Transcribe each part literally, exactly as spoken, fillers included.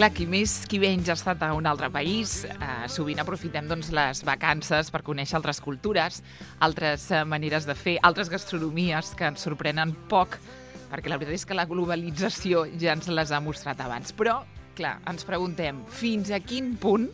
Clar, qui més qui menys ha estat a un altre país, eh, sovint aprofitem doncs, les vacances per conèixer altres cultures, altres eh, maneres de fer, altres gastronomies que ens sorprenen poc, perquè la veritat és que la globalització ja ens les ha mostrat abans. Però, clar, ens preguntem, fins a quin punt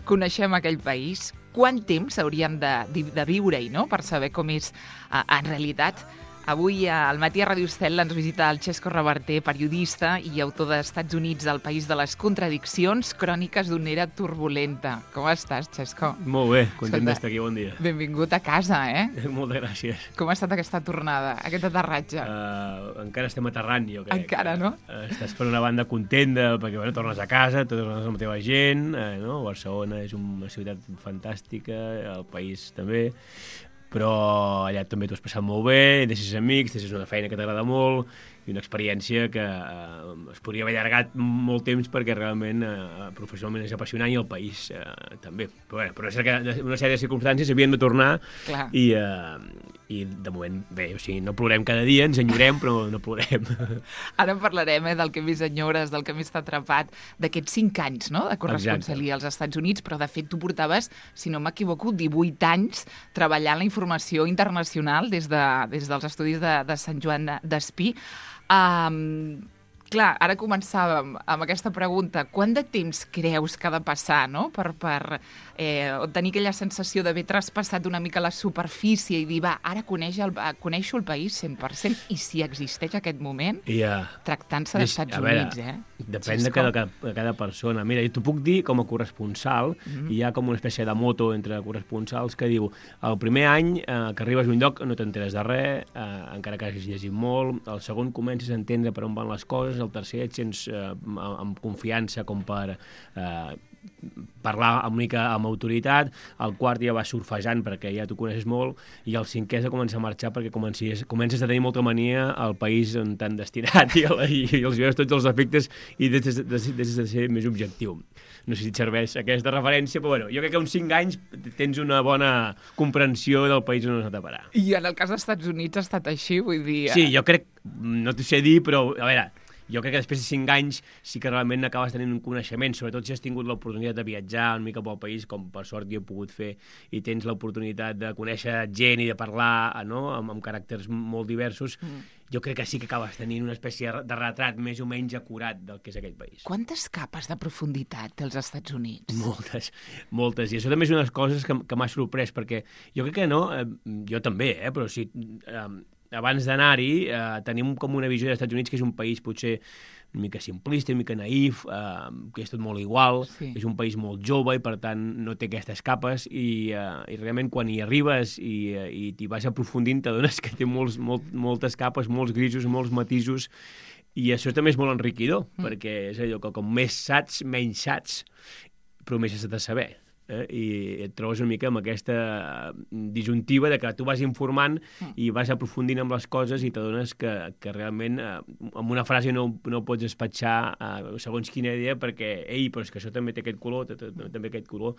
coneixem aquell país? Quant temps hauríem de, de viure-hi, no?, per saber com és eh, en realitat? Avui al Matí a Ràdio Estel ens visita el Xesco Reverter, periodista i autor d'Estats Units, El país de les contradiccions, cròniques d'una era turbulenta. Com estàs, Xesco? Molt bé, content d'estar aquí, bon dia. Benvingut a casa, eh? Moltes gràcies. Com ha estat aquesta tornada, aquest aterratge? Uh, encara estem aterrant, jo crec. Encara, no? Uh, estàs per una banda content de, perquè bueno, tornes a casa, tornes amb la teva gent, uh, no? Barcelona és una ciutat fantàstica, el país també, però allà també t'ho has passat molt bé, deixes amics, deixes una feina que t'agrada molt, i una experiència que eh, es podria haver allargat molt temps perquè realment eh, professionalment és apassionant i el país eh, també. Però, bé, però una sèrie de circumstàncies havien de tornar i, eh, i de moment, bé, o sigui, no plorem cada dia, ens enyorem, però no plorem. Ara en parlarem eh, del que més enyores, del que més t'ha atrapat, d'aquests cinc anys no?, de corresponsalia als Estats Units, però de fet tu portaves, si no m'equivoco, divuit anys treballant la informació internacional des, de, des dels estudis de, de Sant Joan d'Espí. Um, clar, ara començàvem amb aquesta pregunta. Quant de temps creus que ha de passar, no?, per, per eh, tenir aquella sensació d'haver traspassat una mica la superfície i dir, va, ara coneix el, coneixo el país cent per cent, i si existeix aquest moment, yeah. tractant-se d'Estats Units, eh? Depèn de cada, de cada persona. Mira, t'ho puc dir com a corresponsal, mm-hmm. hi ha com una espècie de moto entre corresponsals que diu, el primer any eh, que arribes a un lloc no t'enteres de res, eh, encara que hagis llegit molt, el segon comences a entendre per on van les coses, el tercer et sents eh, amb confiança com per eh, parlar una mica amb autoritat, el quart ja vas surfejant perquè ja t'ho coneixes molt, i el cinquè és de començar a marxar perquè comences, comences a tenir molta mania al país on t'han destinat i, i, i els veus tots els efectes i deixes de, de, de ser més objectiu. No sé si et serveix aquesta referència, però bueno, jo crec que uns cinc anys tens una bona comprensió del país on has anat a parar. I en el cas dels Estats Units ha estat així, vull dir... Sí, jo crec, no t'ho sé dir, però a veure... Jo crec que després de cinc anys sí que realment acabes tenint un coneixement, sobretot si has tingut l'oportunitat de viatjar una mica pel país, com per sort jo he pogut fer, i tens l'oportunitat de conèixer gent i de parlar, no?, amb, amb caràcters molt diversos, mm. jo crec que sí que acabes tenint una espècie de retrat més o menys acurat del que és aquell país. Quantes capes de profunditat té els Estats Units? Moltes, moltes. I això també és una de les coses que, que m'ha sorprès, perquè jo crec que no, eh, jo també, eh, però sí... Eh, abans d'anar-hi, eh, tenim com una visió dels Estats Units que és un país potser una mica simplista, una mica naïf, eh, que és tot molt igual, sí. És un país molt jove i per tant no té aquestes capes i, eh, i realment quan hi arribes i, eh, i t'hi vas aprofundint t'adones que té molts, molt, moltes capes, molts grisos, molts matisos, i això també és molt enriquidor, mm. perquè és allò que com més saps, menys saps, però més has de saber. Eh, i et trobes una mica amb aquesta disjuntiva de que tu vas informant i vas aprofundint amb les coses i t'adones que, que realment eh, amb una frase no, no pots despatxar eh, segons quina idea perquè, ei, però és que això també té aquest color, també aquest color.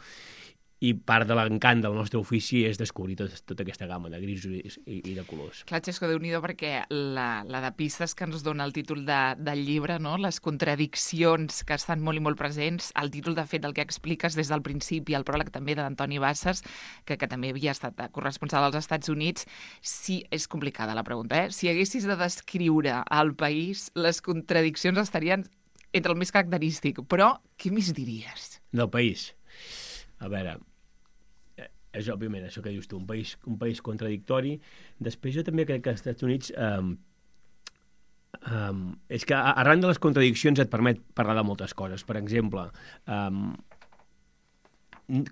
I part de l'encant del nostre ofici és descobrir tot, tota aquesta gamma de grisos i, i de colors. Clar, Xesco, Déu-n'hi-do, perquè la, la de pistes que ens dona el títol de, del llibre, no?, les contradiccions que estan molt i molt presents, el títol, de fet, el que expliques des del principi, el pròleg també de l'Antoni Bassas, que, que també havia estat corresponsal als Estats Units. Sí, és complicada la pregunta, eh? Si haguessis de descriure el país, les contradiccions estarien entre el més característic, però què més diries? Del país? A veure, és òbviament això que dius tu, un país, un país contradictori. Després jo també crec que als Estats Units um, um, és que arran de les contradiccions et permet parlar de moltes coses. Per exemple, um,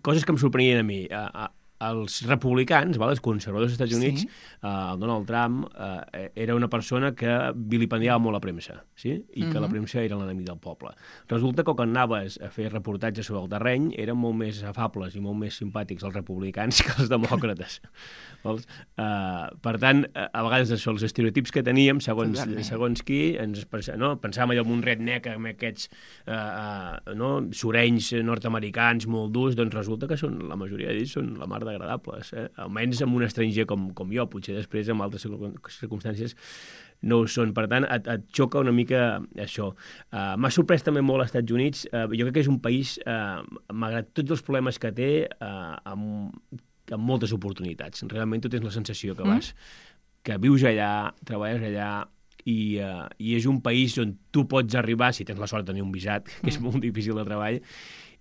coses que em sorprenien a mi. Uh, els republicans, val, els conservadors dels Estats Units, sí. uh, el Donald Trump uh, era una persona que vilipendiava molt la premsa, sí? I mm-hmm. que la premsa era l'enemic del poble. Resulta que quan anaves a fer reportatges sobre el terreny eren molt més afables i molt més simpàtics els republicans que els demòcrates. Vols? Uh, per tant, a vegades això, els estereotips que teníem, segons, segons qui, ens no? pensàvem allò amb un redneck, amb aquests uh, uh, no? surenys nord-americans molt durs, doncs resulta que són, la majoria d'ells són la mar agradables, eh? Almenys amb un estranger com, com jo, potser després amb altres circumstàncies no ho són. Per tant, et, et xoca una mica això. Uh, M'ha sorprès també molt als Estats Units. Uh, jo crec que és un país, uh, malgrat tots els problemes que té, uh, amb, amb moltes oportunitats. Realment tu tens la sensació que vas, mm. que vius allà, treballes allà, i, uh, i és un país on tu pots arribar, si tens la sort de tenir un visat, que és molt difícil de treball,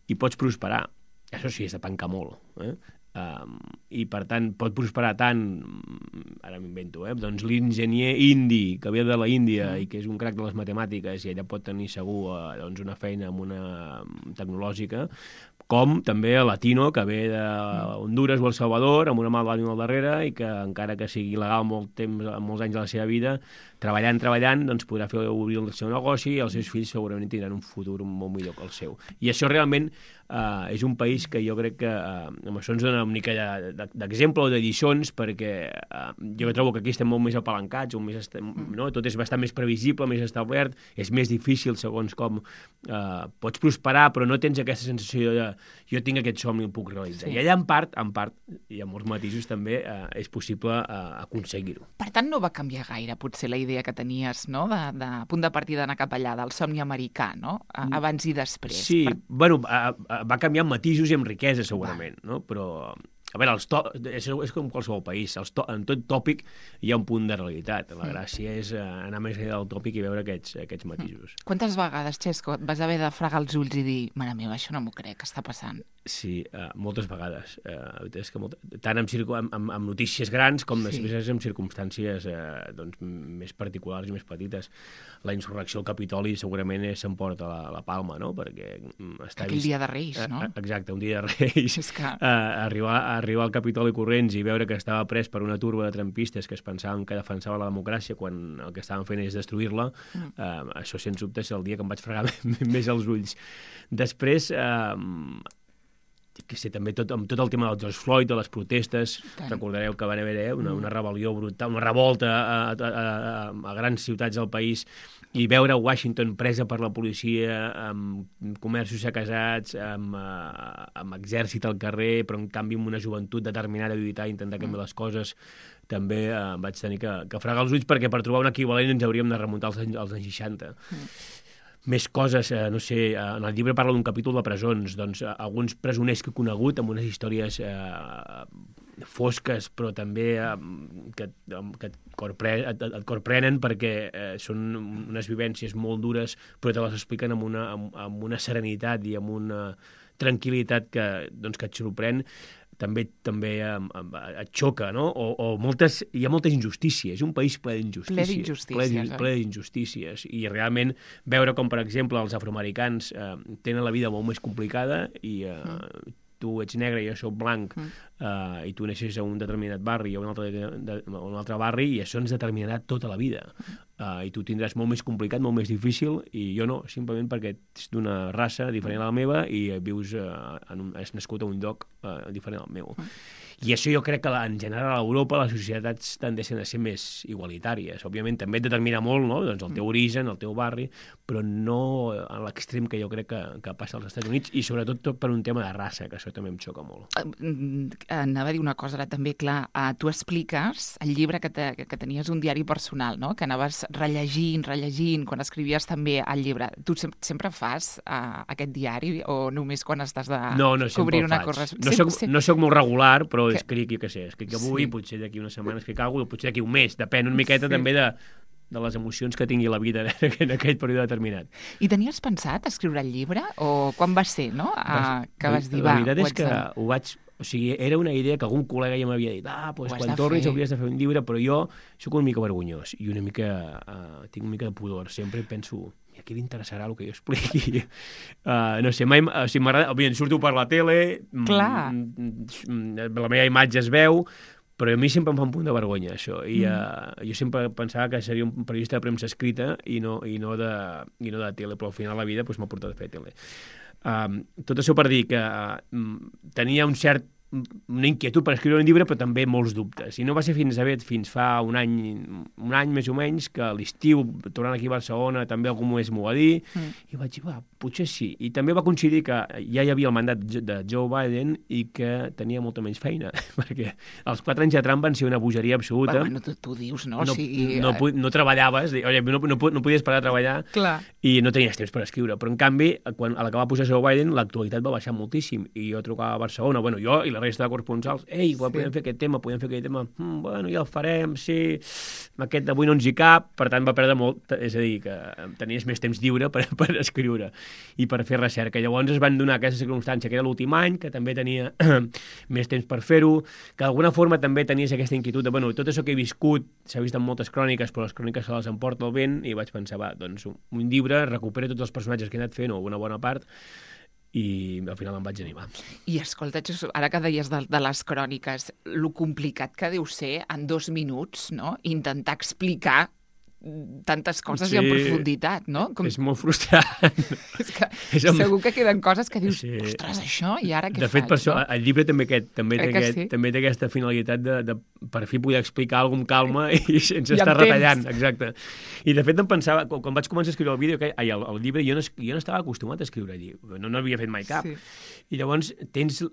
i pots prosperar. Això sí, és de pencar molt. Eh? Um, I, per tant, pot prosperar tant, ara m'invento, eh? doncs l'enginyer indi, que ve de la Índia mm. i que és un crac de les matemàtiques, i ella pot tenir segur uh, doncs una feina amb una tecnològica, com també el latino, que ve de Honduras o El Salvador, amb una mà d'ànima al darrere, i que, encara que sigui il·legal molt temps, molts anys de la seva vida, treballant, treballant, doncs podrà fer obrir el seu negoci, i els seus fills segurament tindran un futur molt millor que el seu. I això realment uh, és un país que jo crec que uh, amb això ens dona una mica d'exemple o de lliçons, perquè uh, jo trobo que aquí estem molt més apalancats, més estem, no? Tot és bastant més previsible, més establert, és més difícil segons com uh, pots prosperar, però no tens aquesta sensació de jo tinc aquest somni i el puc realitzar. Sí. I allà en part, en part, i amb molts matisos també, uh, és possible uh, aconseguir-ho. Per tant, no va canviar gaire, potser, la idea que tenies, no?, de, de punt de partida d'anar cap allà, del somni americà, no?, abans i després. Sí, per... bueno, va canviar amb matisos i amb riquesa, segurament, va. No? Però, a veure, els to... és, és com qualsevol país, els to... en tot tòpic hi ha un punt de realitat. La gràcia és anar més enllà del tòpic i veure aquests, aquests matisos. Quantes vegades, Xesco, et vas haver de fregar els ulls i dir, mare meva, això no m'ho crec, que està passant? Sí, uh, moltes vegades. Uh, és que molt... Tant amb, circu... amb, amb, amb notícies grans com sí. després amb circumstàncies uh, doncs, més particulars i més petites. La insurrecció al Capitoli segurament s'emporta la, la palma, no? Perquè està aquell vist... dia de Reis, no? Uh, exacte, un dia de Reis. És que... uh, arribar, arribar al Capitoli corrents i veure que estava pres per una turba de trampistes que es pensaven que defensava la democràcia quan el que estaven fent és destruir-la, mm. uh, això sens dubte és el dia que em vaig fregar més els ulls. Després... Uh, que sé, també tot, amb tot el tema del George Floyd, de les protestes, tant. Recordareu que va haver una, una rebel·lió brutal, una revolta a, a, a, a grans ciutats del país, i veure Washington presa per la policia, amb comerços saquejats, amb, amb exèrcit al carrer, però en canvi amb una joventut determinada a lluitar i intentar canviar les coses, també eh, vaig tenir que, que fregar els ulls, perquè per trobar un equivalent ens hauríem de remuntar als anys, als anys seixanta. Mm. Més coses, eh, no sé, eh, en el llibre parla d'un capítol de presons, doncs eh, alguns presoners que he conegut amb unes històries eh, fosques, però també eh, que, que et, corpre, et, et corprenen perquè eh, són unes vivències molt dures, però te les expliquen amb una, amb, amb una serenitat i amb una tranquil·litat que, doncs, que et sorprèn. També també et xoca, no? O, o moltes, hi ha moltes injustícies. És un país ple d'injustícies. Ple d'injustícies. Ple, ple d'injustícies. I realment veure com, per exemple, els afroamericans eh, tenen la vida molt més complicada i eh, mm. tu ets negre i jo soc blanc mm. eh, i tu neixes a un determinat barri o a un altre, de, de, a un altre barri i això ens determinarà tota la vida. Mm. Uh, i tu tindràs molt més complicat, molt més difícil, i jo no, simplement perquè ets d'una raça diferent a la meva i vius, uh, en un, has nascut a un lloc uh, diferent al meu. Mm. I això jo crec que en general a Europa les societats tendeixen a ser més igualitàries. Òbviament també et determina molt, no? Doncs el teu origen, el teu barri, però no a l'extrem que jo crec que, que passa als Estats Units, i sobretot tot per un tema de raça, que això també em xoca molt. Anava a dir una cosa ara també, clar, uh, tu expliques el llibre que, te, que tenies un diari personal, no?, que anaves rellegint, rellegint, quan escrivies també el llibre. Tu sem sempre fas uh, aquest diari o només quan estàs de no, no, cobrir una correspondència? No, soc, no soc molt regular, però que... escric, jo què sé, escric avui, sí. potser d'aquí una setmana escric alguna cosa, potser d'aquí un mes, depèn una miqueta sí. també de, de les emocions que tingui la vida en aquell període determinat. I tenies pensat escriure el llibre? O quan va ser, no?, uh, que vas dir, va, la veritat és que de... ho vaig... O sigui, era una idea que algun col·lega ja m'havia dit, ah, doncs quan tornis hauries de fer un llibre, però jo sóc una mica vergonyós i una mica, uh, tinc una mica de pudor. Sempre penso, i a qui li interessarà el que jo expliqui? Uh, no sé, mai, o sigui, m'agrada, òbviament, surto per la tele, clar. la meva imatge es veu, però a mi sempre em fa un punt de vergonya, això. I uh, jo sempre pensava que seria un periodista de premsa escrita i no, i no, de, i no de tele, però al final la vida doncs, m'ha portat a fer tele. Um, tot això per dir que uh, tenia un cert una inquietud per escriure un llibre, però també molts dubtes. I no va ser fins a fins fa un any, un any més o menys, que a l'estiu, tornant aquí a Barcelona, també algú m'ho m'ho va dir, mm. i vaig dir, va, potser sí. I també va coincidir que ja hi havia el mandat de Joe Biden i que tenia molta menys feina, perquè els quatre anys de Trump van ser una bogeria absoluta. Bueno, tu, tu dius, no? No, o sigui, no, no, no treballaves, no, no, no podies parar de treballar. Clar. I no tenies temps per escriure. Però, en canvi, quan, a la que va pujar Joe Biden, l'actualitat va baixar moltíssim. I jo trucava a Barcelona, bueno, jo i la resta de corresponsals, ei, sí. podem fer aquest tema, podem fer aquest tema, mm, bueno, ja el farem, sí, aquest d'avui no ens hi cap, per tant va perdre molt, és a dir, que tenies més temps lliure per, per escriure i per fer recerca. Llavors es van donar aquesta circumstància, que era l'últim any, que també tenia més temps per fer-ho, que d'alguna forma també tenies aquesta inquietud de, bueno, tot això que he viscut, s'ha vist en moltes cròniques, però les cròniques se les emporta el vent, i vaig pensar, va, doncs un llibre, recupero tots els personatges que he anat fent, o una bona part, i al final em vaig animar. I escolta, ara que deies de, de les cròniques, lo complicat que deu ser en dos minuts, no?, intentar explicar tantes coses sí, i en profunditat, no? Com... És molt frustrant. És que és amb... segur que queden coses que dius, sí. ostres, això, i ara què de faig? De fet, per això, no? el llibre també, aquest, també, té aquest, sí? també té aquesta finalitat de, de per fi poder explicar alguna cosa amb calma i sense I estar retallant. Exacte. I de fet em pensava, quan, quan vaig començar a escriure el vídeo, que, ai, el, el llibre, jo no, jo no estava acostumat a escriure llibre, no n'havia fet mai cap. Sí. I llavors tens...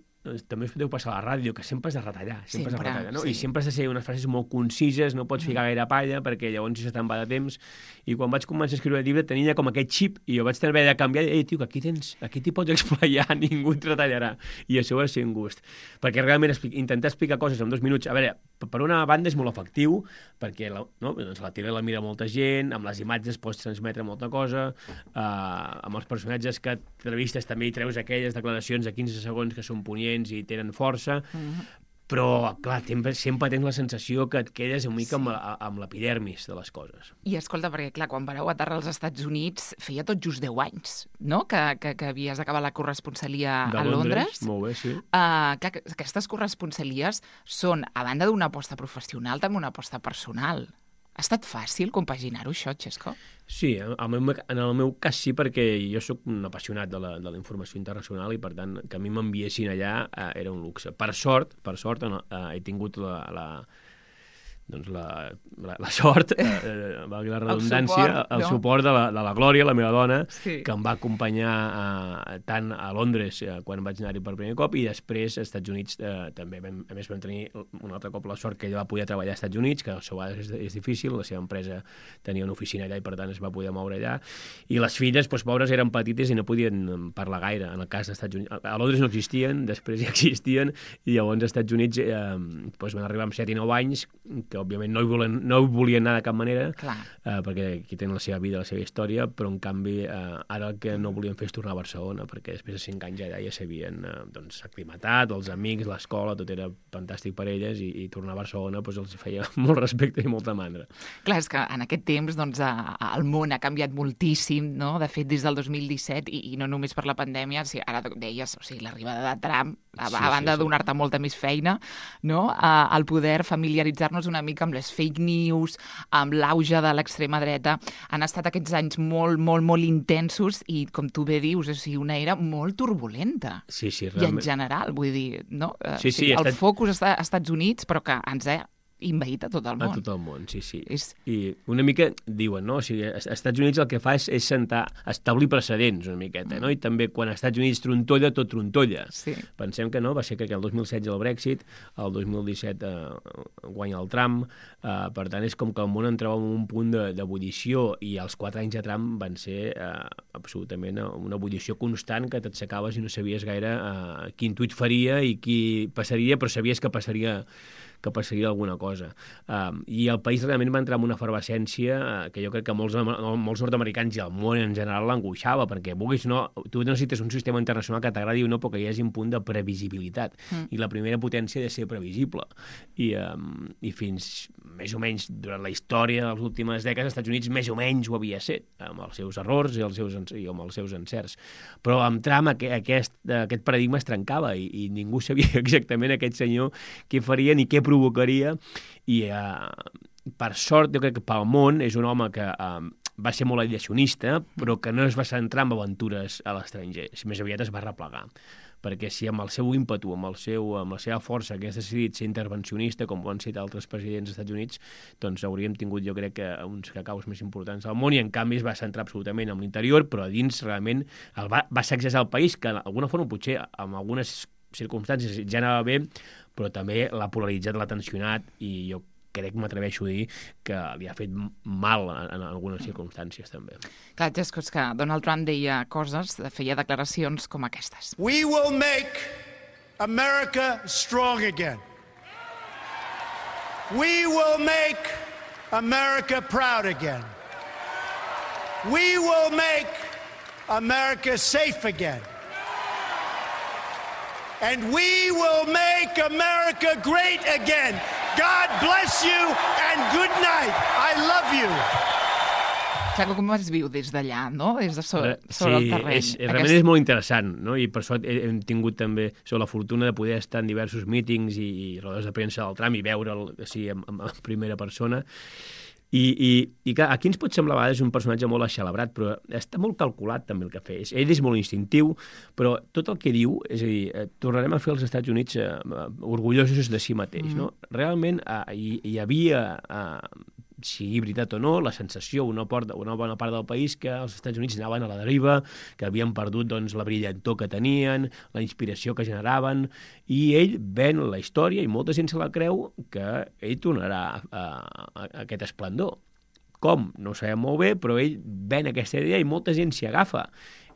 també us podeu passar a la ràdio, que sempre has de retallar, sempre, sempre has de retallar, no? Sí. I sempre has de ser unes frases molt concises, no pots ficar gaire palla, perquè llavors si se te'n va de temps. I quan vaig començar a escriure el llibre tenia com aquest xip, i jo vaig haver de canviar, i tio, que aquí tens, aquí t'hi pots explayar, ningú et retallarà. I això va ser un gust. Perquè realment expli intentar explicar coses en dos minuts, a veure, per una banda és molt efectiu, perquè la, no? doncs la tele la mira molta gent, amb les imatges pots transmetre molta cosa, eh, amb els personatges que entrevistes també hi treus aquelles declaracions de quinze segons que són punyents i tenen força, mm-hmm. però, clar, sempre, sempre tens la sensació que et quedes una mica sí. amb, amb l'epidermis de les coses. I escolta, perquè, clar, quan vareu aterrar als Estats Units feia tot just deu anys, no?, que, que, que havies d'acabar la corresponsalia de a Londres. Londres. Molt bé, sí. Uh, clar, aquestes corresponsalies són, a banda d'una aposta professional, també una aposta personal. Ha estat fàcil compaginar-ho, això, Xesco? Sí, en el, meu, en el meu cas sí, perquè jo sóc un apassionat de la, de la informació internacional i, per tant, que a mi m'enviessin allà eh, era un luxe. Per sort, per sort eh, he tingut la... la doncs la, la, la sort, eh, valgui la redundància, el suport, el no? suport de, la, de la Glòria, la meva dona, sí. que em va acompanyar eh, tant a Londres eh, quan vaig anar-hi per primer cop, i després als Estats Units eh, també. Vam, a més, vam tenir un altre cop la sort que ella va poder treballar als Estats Units, que a vegades és, és difícil, la seva empresa tenia una oficina allà i per tant es va poder moure allà, i les filles, doncs, pobres, eren petites i no podien parlar gaire. En el cas dels Estats Units, a Londres no existien, després ja existien, i llavors als Estats Units eh, doncs van arribar amb set i nou anys, que òbviament no hi volien, no hi volien anar de cap manera, eh, perquè aquí tenen la seva vida, la seva història, però en canvi eh, ara el que no volien fer és tornar a Barcelona, perquè després de cinc anys allà ja s'havien eh, doncs, aclimatat, els amics, l'escola, tot era fantàstic per elles, i, i tornar a Barcelona doncs, els feia molt respecte i molta mandra. Clar, és que en aquest temps doncs, el món ha canviat moltíssim, no? De fet, des del dos mil disset, i, i no només per la pandèmia, o sigui, ara deies, o sigui, l'arribada de Trump, a, sí, a banda sí, sí. de donar-te molta més feina, no? El poder familiaritzar-nos una mica amb les fake news, amb l'auge de l'extrema dreta, han estat aquests anys molt, molt, molt intensos i, com tu bé dius, o sigui, una era molt turbulenta. Sí, sí, I realment. en general, vull dir, no? Sí, sí, el estat... focus està als Estats Units, però que ens ha invaït a tot el món. A tot el món, sí, sí. És... I una mica, diuen, no? O sigui, als Estats Units el que fa és, és sentar, establir precedents una miqueta, mm. no? I també quan als Estats Units trontolla, tot trontolla. Sí. Pensem que no, va ser que el dos mil setze el Brexit, el dos mil disset eh, guanya el Trump, eh, per tant és com que el món entrava en un punt d'ebullició, i els quatre anys de Trump van ser eh, absolutament una ebullició constant que t'aixecaves i no sabies gaire eh, quin tuit faria i qui passaria, però sabies que passaria que passaria alguna cosa. Um, I el país realment va entrar en una efervescència uh, que jo crec que molts, molts nord-americans i el món en general l'angoixava, perquè vulguis no, tu necessites un sistema internacional que t'agradi o no, però que hi hagi un punt de previsibilitat. Mm. I la primera potència ha de ser previsible. I, um, i fins més o menys durant la història de les últimes dècades, als Estats Units més o menys ho havia set, amb els seus errors i, els seus, i amb els seus encerts. Però amb Trump aquest, aquest paradigma es trencava i, i ningú sabia exactament aquest senyor què faria ni què provocaria, i eh, per sort jo crec que pel món és un home que eh, va ser molt aviacionista, però que no es va centrar en aventures a l'estranger, més aviat es va replegar, perquè si amb el seu ímpetu, amb, el seu, amb la seva força hagués decidit ser intervencionista, com ho han set altres presidents dels Estats Units, doncs hauríem tingut, jo crec, que uns cacaus més importants del món, i en canvi es va centrar absolutament en l'interior, però a dins realment el va, va sacsejar el país, que d'alguna forma potser en algunes circumstàncies ja anava bé, però també l'ha polaritzat, l'ha tensionat, i jo crec, m'atreveixo a dir, que li ha fet mal en, en algunes circumstàncies, també. Clar, és que Donald Trump deia coses, feia declaracions com aquestes. We will make America strong again. We will make America proud again. We will make America safe again. And we will make America great again. God bless you and good night. I love you. Xaco, com es viu des d'allà, no? Des de sobre, sobre sí, el terreny. Sí, realment Aquest... és molt interessant, no? I per això hem tingut també la fortuna de poder estar en diversos mítings i, i rodes de premsa del Trump i veure'l sí, en, en primera persona. I, i, i clar, aquí ens pot semblar a vegades un personatge molt aixelebrat, però està molt calculat també el que fa. Ell és molt instintiu, però tot el que diu, és a dir, eh, tornarem a fer els Estats Units eh, orgullosos de si mateix, no? Realment eh, hi, hi havia... Eh, sigui veritat o no, la sensació, una, porta, una bona part del país, que els Estats Units anaven a la deriva, que havien perdut doncs, la brillantor que tenien, la inspiració que generaven, i ell ven la història, i molta gent se la creu, que ell tornarà a, a, a aquest esplendor. Com? No ho sabem molt bé, però ell ven aquesta idea i molta gent s'hi agafa.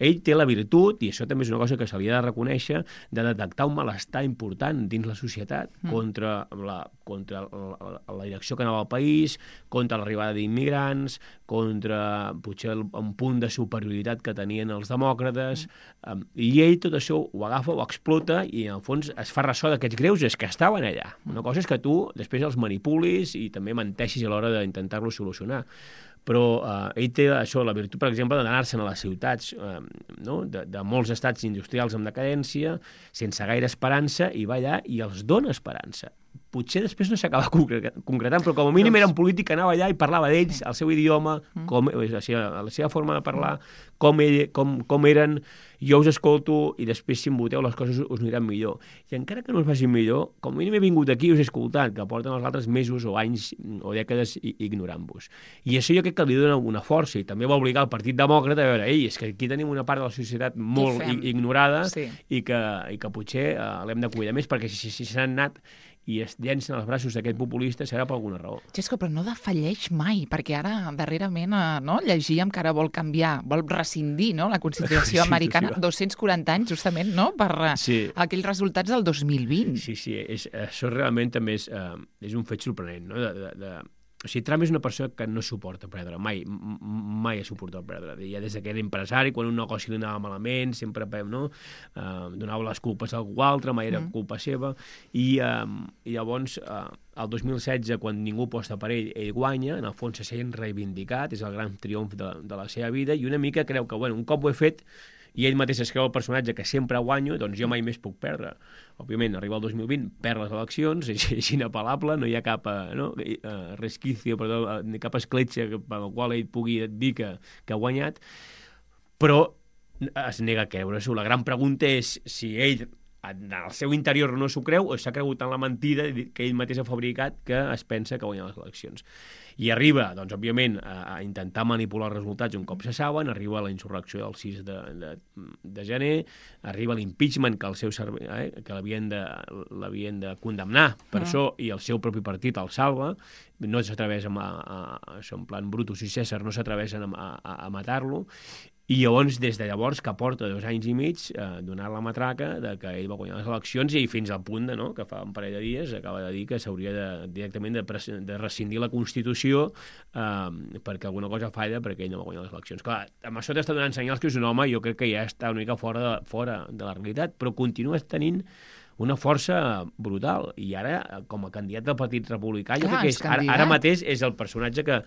Ell té la virtut, i això també és una cosa que se li ha de reconèixer, de detectar un malestar important dins la societat mm. contra, la, contra la, la direcció que anava al país, contra l'arribada d'immigrants, contra potser el, un punt de superioritat que tenien els demòcrates, mm. um, i ell tot això ho agafa, ho explota, i en el fons es fa ressò d'aquests greuges que estaven allà. Una cosa és que tu després els manipulis i també menteixis a l'hora d'intentar-lo solucionar. Però eh, ell té això, la virtut, per exemple, d'anar-se'n a les ciutats eh, no? de, de molts estats industrials en decadència, sense gaire esperança, i va allà i els dona esperança. Potser després no s'acaba concretant, però com a mínim era un polític que anava allà i parlava d'ells, el seu idioma, com, la, seva, la seva forma de parlar, com, ell, com, com eren, jo us escolto i després si em voteu les coses us aniran millor. I encara que no us facin millor, com a mínim he vingut aquí i us he escoltat, que porten els altres mesos o anys o dècades ignorant-vos. I això jo crec que li dona una força, i també va obligar el Partit Demòcrata a veure, ei, és que aquí tenim una part de la societat molt ignorada sí. i, que, i que potser eh, l'hem de cuidar més, perquè si s'han si, si anat i es llencen als braços d'aquest populista serà per alguna raó. Xesco, però no defalleix mai, perquè ara, darrerament, no, llegíem que ara vol canviar, vol rescindir no, la Constitució sí, americana, sí, dos-cents quaranta anys, justament, no, per sí. aquells resultats del dos mil vint. Sí, sí, és, això realment també és, uh, és un fet sorprenent, no?, de... de, de... O sigui, Trump és una persona que no suporta perdre, mai, mai ha suportat perdre. Ja des que era empresari, quan un negoci li anava malament, sempre no? uh, donava les culpes a algú altre, mai era mm. culpa seva, i, uh, i llavors, uh, el dos mil setze, quan ningú posta per ell, ell guanya, en el fons se sent reivindicat, és el gran triomf de, de la seva vida, i una mica creu que, bueno, un cop ho he fet, i ell mateix es creu el personatge que sempre guanyo, doncs jo mai més puc perdre. Òbviament, arriba el dos mil vint, perd les eleccions, és, és inapel·lable, no hi ha cap no, resquicio, perdó, ni cap escletxa per la qual ell pugui dir que, que ha guanyat, però es nega a creure-s'ho. La gran pregunta és si ell en el seu interior no s'ho creu o s'ha cregut en la mentida que ell mateix ha fabricat que es pensa que guanya les eleccions. I arriba, doncs, òbviament, a, a intentar manipular els resultats un cop se saben, arriba la insurrecció del sis de, de, de gener, arriba l'impeachment que, el seu servei, eh, que l'havien de, l'havien de condemnar per ah. això, i el seu propi partit el salva, no s'atreveix a, a, a, en plan Brutus i César no s'atreveixen a, a, a matar-lo, i llavors, des de llavors, que porta dos anys i mig eh, donant la matraca de que ell va guanyar les eleccions i fins al punt de, no, que fa un parell de dies acaba de dir que s'hauria de, directament de, de rescindir la Constitució eh, perquè alguna cosa falla perquè ell no va guanyar les eleccions. Clar, amb això t'està donant senyals que és un home, jo crec que ja està una mica fora de, fora de la realitat, però continua tenint una força brutal. I ara, com a candidat del Partit Republicà, jo crec que és, ara, ara mateix és el personatge que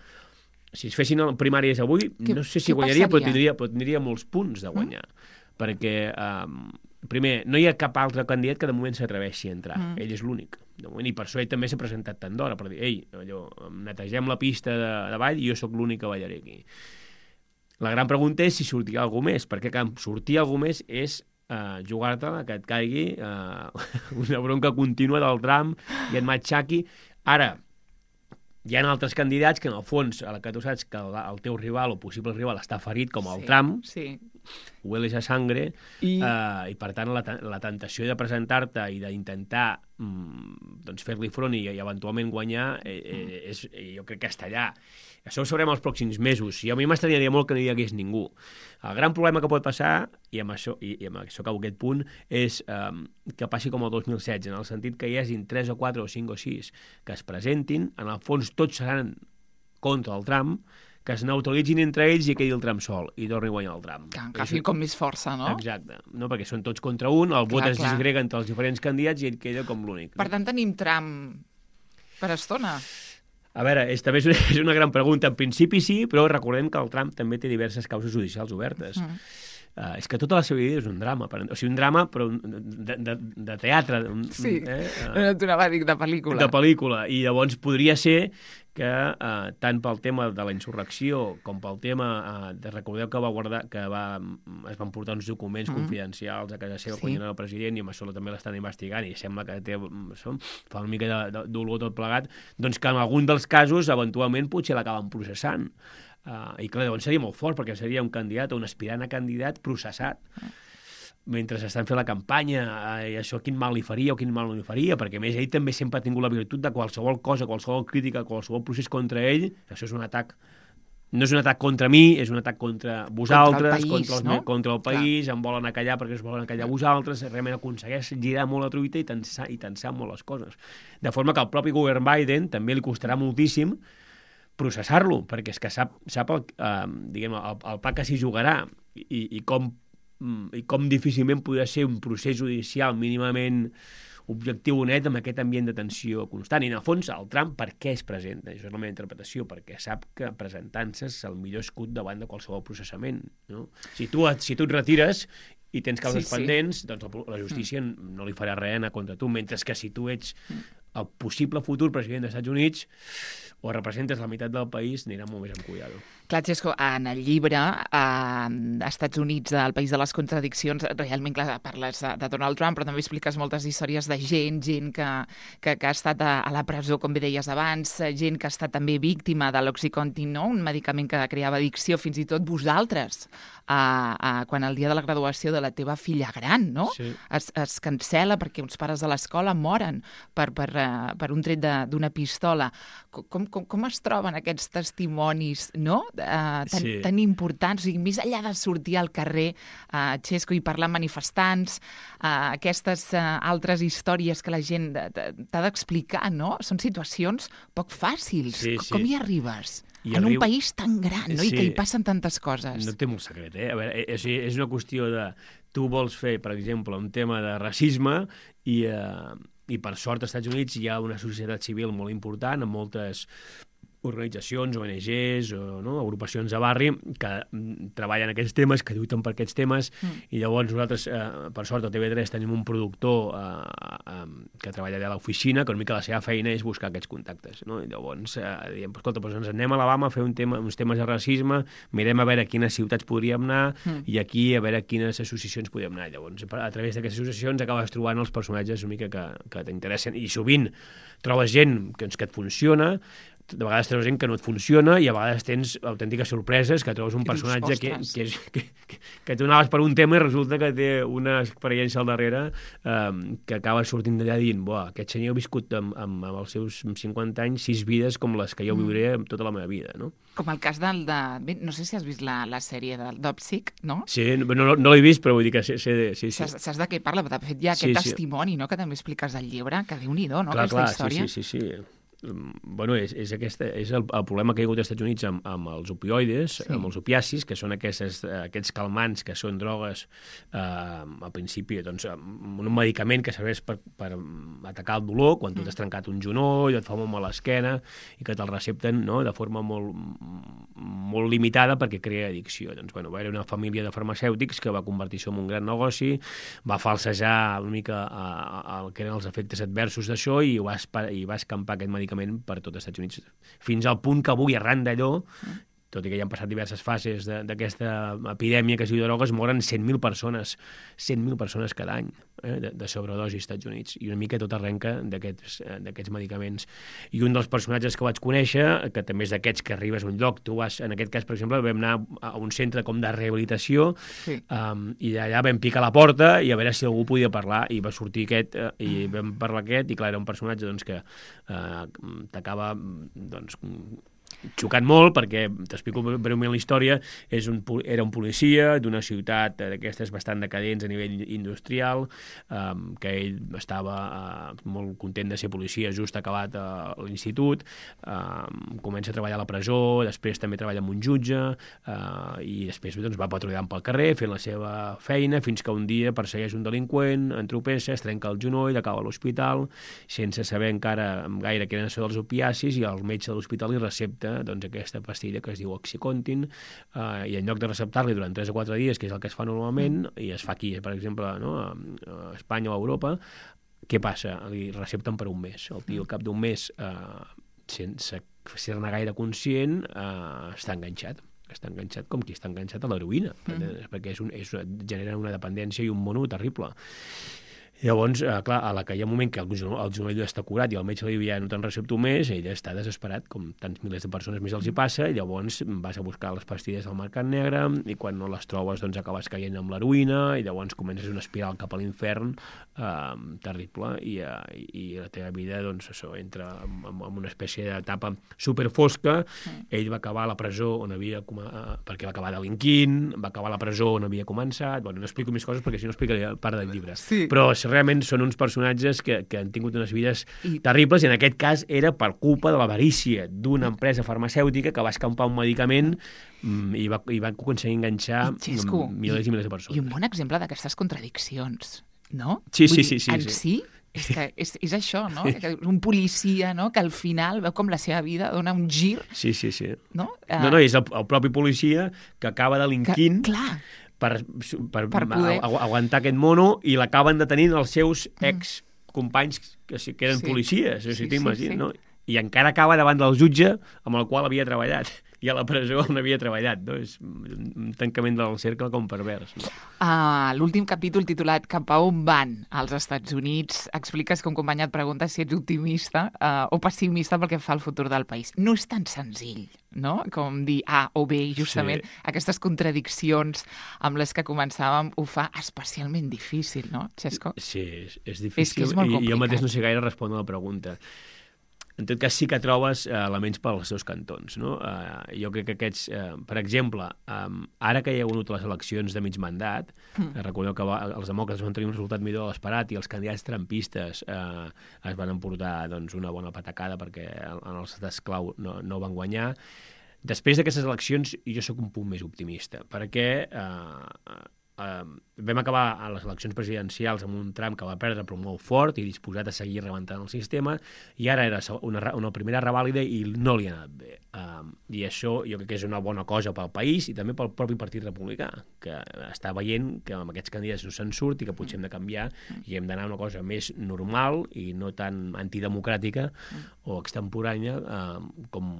si es fessin primàries avui, que, no sé si guanyaria, però tindria, però tindria molts punts de guanyar. Mm. Perquè, um, primer, no hi ha cap altre candidat que de moment s'atreveixi a entrar. Mm. Ell és l'únic. De moment, i per això ell també s'ha presentat tant d'hora, per dir, ei, allò, netegem la pista de, de ball i jo sóc l'únic que ballaré aquí. La gran pregunta és si sortirà algú més, perquè que sortir algú més és uh, jugar-te-la, que et caigui uh, una bronca contínua del Trump i et matxaqui. Ara, hi ha altres candidats que, en el fons, a la que tu saps que el, el teu rival o possible rival està ferit, com el sí, Trump, sí. hueles a sangre, I, uh, i per tant la, la tentació de presentar-te i d'intentar mm, doncs fer-li front i, i eventualment guanyar, eh, eh, és, jo crec que està allà. Això ho sabrem els pròxims mesos, i a mi m'estranaria molt que no hi hagués ningú. El gran problema que pot passar, i amb això, i, i amb això acabo aquest punt, és um, que passi com el dos mil setze, en el sentit que hi hagin tres o quatre o cinc o sis que es presentin, en el fons tots seran contra el Trump, que es neutralitzin entre ells i quedi el Trump sol, i torni a guanyar el Trump. Que agafin com més força, no? Exacte, no? Perquè són tots contra un, el vot Clar, es clar. disgrega entre els diferents candidats i ell queda com l'únic. Per tant, tenim Trump per estona. A veure, és, també és una, és una gran pregunta. En principi sí, però recordem que el Trump també té diverses causes judicials obertes. Mm. Uh, és que tota la seva vida és un drama. Per, o sigui, un drama, però de, de, de teatre. Un, Sí, eh? uh, no t'anava a dir de pel·lícula. de pel·lícula. I llavors podria ser que uh, tant pel tema de la insurrecció com pel tema uh, de recordeu que va guardar que va, es van portar uns documents mm. confidencials a casa seva Sí. quan era el president, i amb això també l'estan investigant i sembla que té, això, fa una mica de, de, d'olor tot plegat, doncs que en algun dels casos eventualment potser l'acaben processant. Uh, I clar, llavors seria molt fort, perquè seria un candidat o un aspirant a candidat processat. Mm. Mentre s'estan fent la campanya, eh, això quin mal li faria o quin mal no li faria, perquè a més ell també sempre ha tingut la virtut de qualsevol cosa, qualsevol crítica, qualsevol procés contra ell, això és un atac, no és un atac contra mi, és un atac contra vosaltres, país, contra, els, no? contra el país, em volen acallar perquè es volen acallar vosaltres, realment aconsegueix girar molt la truita i tensar, i tensar molt les coses. De forma que al propi govern Biden també li costarà moltíssim processar-lo, perquè és que sap, sap el, eh, diguem, el, el pa que s'hi jugarà i, i com i com difícilment podrà ser un procés judicial mínimament objectiu o net amb aquest ambient de tensió constant. I en el fons, el Trump per què es presenta? Això és la meva interpretació, perquè sap que presentant-se és el millor escut davant de qualsevol processament. No? Si, tu, si tu et retires i tens causes Sí, sí. pendents, doncs la justícia mm. no li farà res anar contra tu, mentre que si tu ets el possible futur president dels Estats Units o representes la meitat del país, anirà molt més amb cuidado. Clar, Xesco, en el llibre eh, Estats Units, el país de les contradiccions, realment clar, parles de, de Donald Trump, però també expliques moltes històries de gent, gent que, que, que ha estat a, a la presó, com bé deies abans, gent que ha estat també víctima de l'Oxycontin, no? Un medicament que creava addicció, fins i tot vosaltres, eh, eh, quan el dia de la graduació de la teva filla gran, no? Sí. Es, es cancela perquè uns pares de l'escola moren per, per, uh, per un tret d'una pistola. Com, com, com es troben aquests testimonis, no? Uh, tan, Sí. tan importants, o sigui, més enllà de sortir al carrer, uh, Xesco, i parlar amb manifestants, uh, aquestes uh, altres històries que la gent t'ha d'explicar, no? Són situacions poc fàcils. Sí, Com sí. hi arribes? I en arribo- un país tan gran, no? Sí. I que hi passen tantes coses. No té molt secret, eh? A veure, és, és una qüestió de... Tu vols fer, per exemple, un tema de racisme i, eh, i per sort als Estats Units hi ha una societat civil molt important amb moltes organitzacions, O N Ges o no, agrupacions de barri que mm, treballen aquests temes, que lluiten per aquests temes, mm. i llavors nosaltres, eh, per sort, a T V tres tenim un productor eh, eh, que treballa allà a l'oficina, que una mica la seva feina és buscar aquests contactes, no? I llavors eh, diem, escolta, doncs ens anem a Alabama a fer un tema, uns temes de racisme, mirem a veure a quines ciutats podríem anar mm. i aquí a veure a quines associacions podríem anar. Llavors, a través d'aquestes associacions acabes trobant els personatges una mica que, que t'interessen, i sovint trobes gent que, que et funciona, de vegades trobes gent que no et funciona i a vegades tens autèntiques sorpreses, que trobes un I personatge dius, que, ostres. que, és, que, que, que tu anaves per un tema i resulta que té una experiència al darrere um, que acaba sortint d'allà dient, buah, aquest senyor ha viscut amb, amb, amb els seus cinquanta anys sis vides com les que jo viuré amb tota la meva vida, no? Com el cas del de... Bé, no sé si has vist la, la sèrie del Dopsic, no? Sí, no, no, no l'he vist, però vull dir que sé, sé de... Sí, sí. Saps, saps de què parla? De fet, hi ha Sí, aquest sí. testimoni, no?, que també expliques al llibre, que Déu-n'hi-do, no?, Clar, aquesta clar, història. sí, sí, sí, sí. Bueno, és, és, aquesta, és el, el problema que hi ha hagut als Estats Units amb, amb els opioides, Sí. sí. amb els opiacis, que són aquestes, aquests calmants que són drogues, eh, al principi, doncs, un medicament que serveix per, per atacar el dolor, quan tu t'has trencat un genoll, et fa molt mal l'esquena, i que te'l recepten, no?, de forma molt, molt limitada perquè crea addicció. Doncs, bueno, va haver una família de farmacèutics que va convertir això en un gran negoci, va falsejar una mica el que eren els efectes adversos d'això i va, i va escampar aquest medicament per tot els Estats Units, fins al punt que avui, arran d'allò, tot i que ja han passat diverses fases d'aquesta epidèmia que es diu de drogues, moren cent mil persones, cent mil persones cada any eh, de, de sobredosi als Estats Units, i una mica tot arrenca d'aquests medicaments. I un dels personatges que vaig conèixer, que també és d'aquests que arribes a un lloc, tu vas, en aquest cas, per exemple, vam anar a un centre com de rehabilitació, sí. um, i allà vam picar a la porta i a veure si algú podia parlar, i va sortir aquest, eh, i vam parlar aquest, i clar, era un personatge doncs, que eh, t'acaba doncs, xocant molt, perquè t'explico breument la història. És un, era un policia d'una ciutat d'aquestes bastant decadents a nivell industrial, um, que ell estava uh, molt content de ser policia, just acabat uh, l'institut, um, comença a treballar a la presó, després també treballa amb un jutge, uh, i després doncs, va patrullant pel carrer fent la seva feina, fins que un dia persegueix un delinqüent, entropessa, es trenca el genoll, acaba a l'hospital sense saber encara gaire què eren els opiacis, i el metge de l'hospital li recepta doncs, aquesta pastilla que es diu Oxycontin, eh, i en lloc de receptar-li durant tres o quatre dies, que és el que es fa normalment, mm. i es fa aquí, per exemple, no? a Espanya o a Europa, què passa? Li recepten per un mes. El tio, al cap d'un mes, eh, sense ser-ne gaire conscient, eh, està enganxat. Està enganxat com qui està enganxat a l'heroïna, mm. perquè és un, és, genera una dependència i un mono terrible. Llavors, eh, clar, a la que hi ha un moment que el genoll, el genoll està curat i el metge li diu ja no te'n recepto més, ell està desesperat, com tants milers de persones més els hi passa, i llavors vas a buscar les pastilles al mercat negre, i quan no les trobes doncs acabes caient amb l'heroïna, i llavors comences una espiral cap a l'infern eh, terrible, i, eh, i la teva vida doncs, això, entra en, en una espècie d'etapa superfosca. Mm. Ell va acabar a la presó on havia eh, perquè va acabar delinquint, va acabar a la presó on havia començat. Bueno, no explico més coses perquè si no explicaria part del llibre. Sí. Però realment són uns personatges que, que han tingut unes vides I... terribles, i en aquest cas era per culpa de l'avarícia d'una empresa farmacèutica que va escampar un medicament mm, i, va, i va aconseguir enganxar Xesco, milers i, i milers de persones. I un bon exemple d'aquestes contradiccions, no? Sí, sí, dir, sí, sí. En sí, sí és, que és, és això, no? Un policia, no?, que al final veu com la seva vida dona un gir. Sí, sí, sí. No, uh... no, no és el, el propi policia que acaba delinquint... Que, clar. per, per, per poder... aguantar aquest mono, i l'acaben detenint els seus ex companys que, que eren sí. policies, o sigui, sí, t'imagines, sí, sí. no? I encara acaba davant del jutge amb el qual havia treballat, i a la presó on havia treballat, no? És un tancament del cercle com pervers. No? Uh, L'últim capítol, titulat Cap a on van als Estats Units, expliques que un company et pregunta si ets optimista uh, o pessimista pel que fa al futur del país. No és tan senzill, no?, com dir A o B, i justament sí. aquestes contradiccions amb les que començàvem ho fa especialment difícil, no, Xesco? Sí, és, és difícil, és que és molt complicat. I jo mateix no sé gaire respondre a la pregunta. En tot cas, sí que trobes eh, elements pels seus cantons, no? Eh, jo crec que aquests... Eh, per exemple, eh, ara que hi ha hagut les eleccions de mig mandat, mm. eh, recordeu que va, els demòcrates van tenir un resultat millor de l'esperat, i els candidats trampistes eh, es van emportar doncs, una bona patacada perquè en els estats clau no, no van guanyar. Després d'aquestes eleccions, jo sóc un punt més optimista, perquè... Eh, Uh, vam acabar a les eleccions presidencials amb un Trump que va perdre però molt fort i disposat a seguir rebentant el sistema, i ara era una, una primera revàlida i no li ha anat bé. Uh, I això jo crec que és una bona cosa pel país i també pel propi Partit Republicà, que està veient que amb aquests candidats no se'n surt i que potser hem de canviar i hem d'anar a una cosa més normal i no tan antidemocràtica o extemporània uh, com,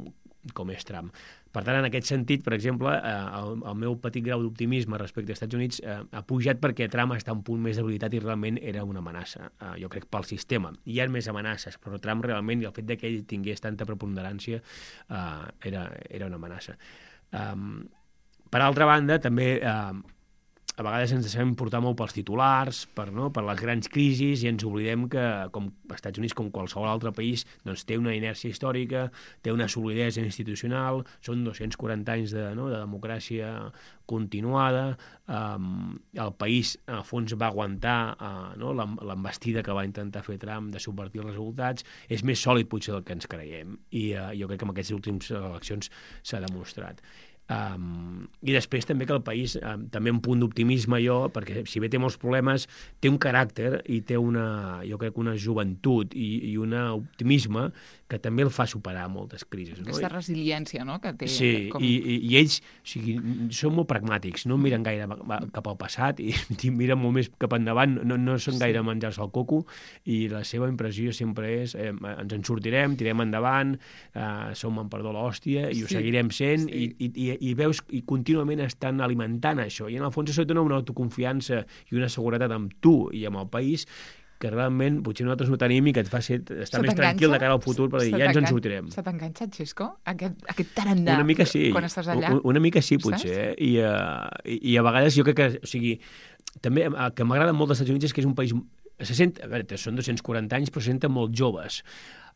com és Trump. Per tant, en aquest sentit, per exemple, eh, el, el meu petit grau d'optimisme respecte als Estats Units eh, ha pujat perquè Trump està en un punt més debilitat i realment era una amenaça, eh, jo crec, pel sistema. Hi ha més amenaces, però Trump realment, i el fet de que ell tingués tanta preponderància, eh, era, era una amenaça. Um, per altra banda, també... Eh, a vegades ens sabem portar molt pels titulars, per, no? per les grans crisis, i ens oblidem que, com els Estats Units, com qualsevol altre país, doncs, té una inèrcia històrica, té una solidesa institucional, són dos-cents quaranta anys de, no? de democràcia continuada, um, el país, a fons, va aguantar uh, no? l'embestida que va intentar fer Trump de subvertir els resultats, és més sòlid potser del que ens creiem, i uh, jo crec que en aquestes últimes eleccions s'ha demostrat. Um, I després també que el país, um, també un punt d'optimisme jo, perquè si bé té molts problemes, té un caràcter i té una, jo crec, una joventut i, i un optimisme que també el fa superar moltes crisis. No? Aquesta resiliència, no?, que té. Sí, com... i, i, i ells o sigui, són molt pragmàtics, no miren gaire cap al passat i, i miren molt més cap endavant, no, no són gaire sí. menjar-se el coco, i la seva impressió sempre és eh, ens en sortirem, tirem endavant, eh, som en perdó l'hòstia i ho sí. seguirem sent, sí. i, i, i veus i contínuament estan alimentant això, i en el fons això et dona una autoconfiança i una seguretat amb tu i amb el país que realment potser nosaltres no tenim i que et fa ser, estar més tranquil de cara al futur per dir, ja ens en sortirem. Se t'enganxa, Xisco? Aquest, aquest tarannà una mica sí, quan estàs allà? Una, una mica sí, potser. Eh? I, uh, i, I a vegades jo crec que, o sigui, també el que m'agrada molt dels Estats Units és que és un país... Se sent, a veure, són dos-cents quaranta anys, però se senten molt joves.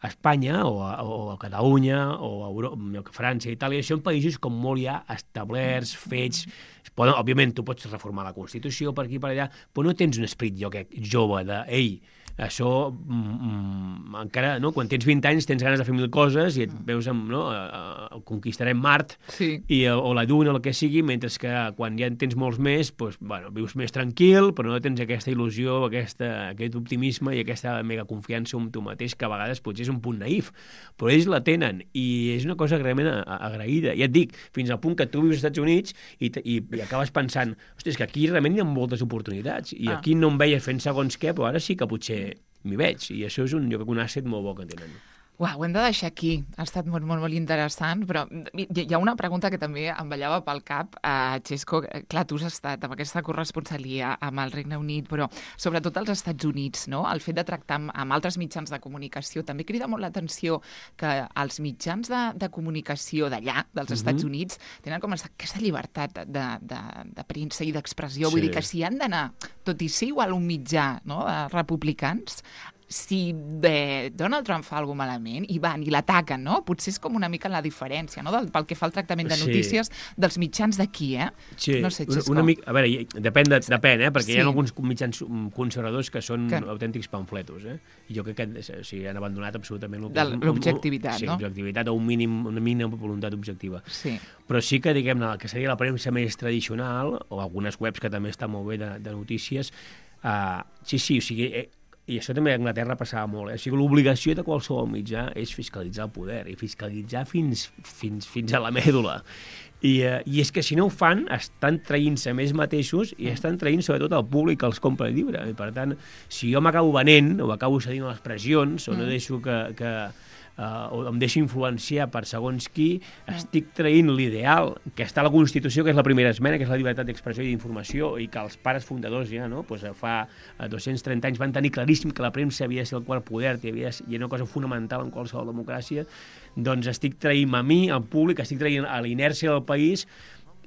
A Espanya, o a, o a Catalunya, o a Europa, a França, Itàlia, són països com molt ja establerts, fets... Poden, òbviament, tu pots reformar la Constitució per aquí per allà, però no tens un esperit, jo crec, jove, de, ei, això mm, encara, no? Quan tens vint anys tens ganes de fer mil coses i et veus amb, no? Uh, conquistarem Mart sí. i, o la Lluna o el que sigui, mentre que quan ja en tens molts més, doncs, bueno, vius més tranquil, però no tens aquesta il·lusió, aquesta, aquest optimisme i aquesta mega confiança en tu mateix, que a vegades potser és un punt naïf, però ells la tenen i és una cosa realment agraïda. Ja et dic, fins al punt que tu vius als Estats Units i, i, i acabes pensant, hosti, és que aquí realment hi ha moltes oportunitats i ah. aquí no em veia fent segons què, però ara sí que potser m'hi veig, i això és un, jo crec, un asset molt bo que tenen. Uau, ho hem de deixar aquí. Ha estat molt, molt, molt interessant, però hi ha una pregunta que també em ballava pel cap. Uh, Xisco, clar, tu has estat amb aquesta corresponsalia amb el Regne Unit, però sobretot als Estats Units, no? El fet de tractar amb, amb altres mitjans de comunicació. També crida molt l'atenció que els mitjans de, de comunicació d'allà, dels uh-huh. Estats Units, tenen com aquesta llibertat de, de, de premsa i d'expressió. Sí. Vull dir que si han d'anar, tot i ser igual un mitjà, no?, de republicans, si de Donald Trump fa alguna malament i van i l'ataquen, no? Potser és com una mica la diferència, no?, del, pel que fa al tractament de notícies sí. dels mitjans d'aquí, eh? Sí, no sé, una, una mica... A veure, depèn, de, depèn eh? Perquè sí. hi ha alguns mitjans conservadors que són que... autèntics pamfletos, eh? I jo crec que o sigui, han abandonat absolutament... L'objectivitat, sí, no? Sí, l'objectivitat o un mínim, una mínima voluntat objectiva. Sí. Però sí que, diguem-ne, que seria la premsa més tradicional, o algunes webs que també estan molt bé de, de notícies, uh, sí, sí, o sigui... Eh, i això també a Anglaterra passava molt, eh? O sigui, l'obligació de qualsevol mitjà és fiscalitzar el poder, i fiscalitzar fins, fins, fins a la mèdula. I, eh, I és que si no ho fan, estan traient-se més mateixos i estan traient sobretot el públic que els compra el llibre. I per tant, si jo m'acabo venent o acabo cedint a les pressions o no deixo que... que Uh, o em deixo influenciar per segons qui, estic traient l'ideal que està a la Constitució, que és la primera esmena, que és la llibertat d'expressió i d'informació, i que els pares fundadors ja, no?, pues, fa dos-cents trenta anys van tenir claríssim que la premsa havia de ser el quart poder i havia de ser una cosa fonamental en qualsevol democràcia. Doncs estic traient a mi, al públic, estic traient a la inèrcia del país.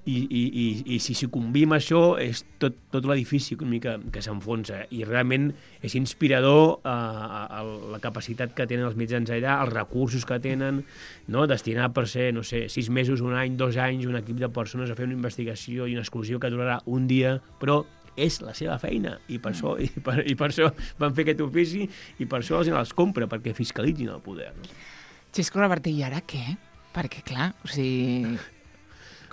I, i, i, i si sucumbim a això és tot, tot l'edifici que, que s'enfonsa, i realment és inspirador eh, la capacitat que tenen els mitjans allà, els recursos que tenen, no? Destinar per ser, no sé, sis mesos, un any, dos anys, un equip de persones a fer una investigació i una exclusió que durarà un dia, però és la seva feina, i per, això, i per, i per això van fer aquest ofici, i per això els, els compra, perquè fiscalitzin el poder. No? Xisco Reverter, i ara què? Perquè, clar, o sigui...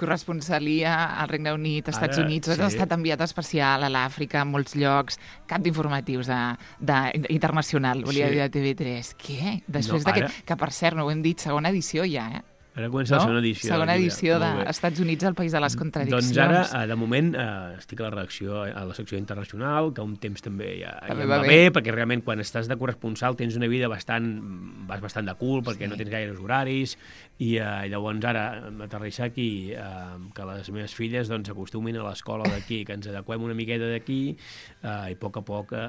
corresponsalia al Regne Unit, als Estats Units, has sí. estat enviat especial a l'Àfrica, a molts llocs, cap d'informatius de, de, internacional, volia sí. dir, de T V tres. Què? Després no, d'aquest, ara... que per cert, no ho hem dit, segona edició ja, eh? Ara comença no? la segona edició. Segona edició dels Estats Units, el país de les contradiccions. Doncs ara, de moment, eh, estic a la redacció, a la secció internacional, que un temps també ja, també ja va bé, bé, perquè realment quan estàs de corresponsal tens una vida bastant, vas bastant de cul, perquè sí. no tens gaires horaris, i eh, llavors ara aterrissar aquí, eh, que les meves filles doncs acostumin a l'escola d'aquí, que ens adequem una miqueta d'aquí, eh, i a poc a poc eh,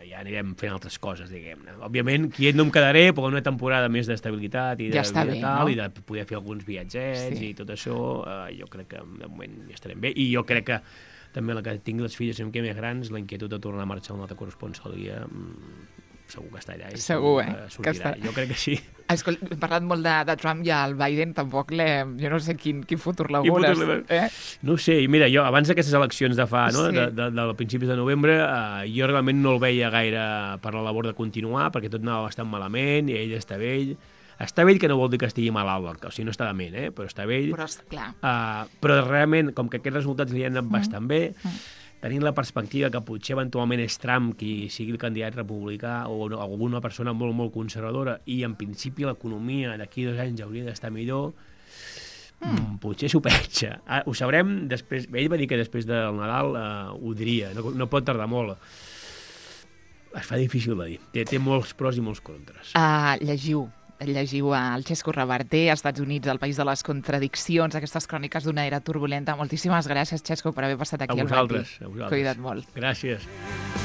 ja anirem fent altres coses, diguem-ne. Òbviament, quiet no em quedaré, però una temporada més d'estabilitat i de, ja està bé, bé, tal, no? i de poder fer alguns viatgets sí. i tot això, eh, jo crec que de moment ja estarem bé. I jo crec que també la que tinc les filles amb què més grans, la inquietud de tornar a marxar a una altra corresponsalia, segur que està allà. I segur, eh? Que, que està... Jo crec que sí. Escolta, hem parlat molt de, de Trump i el Biden, tampoc l'hem... Jo no sé quin, quin futur l'augures. Eh? No sé, i mira, jo abans d'aquestes eleccions de fa, no?, sí. de, de, de, de principis de novembre, eh, jo realment no el veia gaire per la labor de continuar, perquè tot anava bastant malament, i ell està vell. Està vell, que no vol dir que estigui malalt, o sigui, no està dement, eh? Però està vell. Però, clar. Uh, però realment, com que aquests resultats li han anat mm. bastant bé, mm. tenint la perspectiva que potser eventualment és Trump qui sigui el candidat republicà o alguna persona molt, molt conservadora, i en principi l'economia d'aquí dos anys hauria d'estar millor, Mm. potser s'ho penja. Ah, ho sabrem després. Ell va dir que després del Nadal uh, ho diria, no, no pot tardar molt. Es fa difícil de dir. Té, té molts pros i molts contres. Uh, llegiu, llegiu el Xesco Reverter, Estats Units, el país de les contradiccions, aquestes cròniques d'una era turbulenta. Moltíssimes gràcies, Xesco, per haver passat aquí a al vosaltres, matí. A vosaltres. Cuida't molt. Gràcies.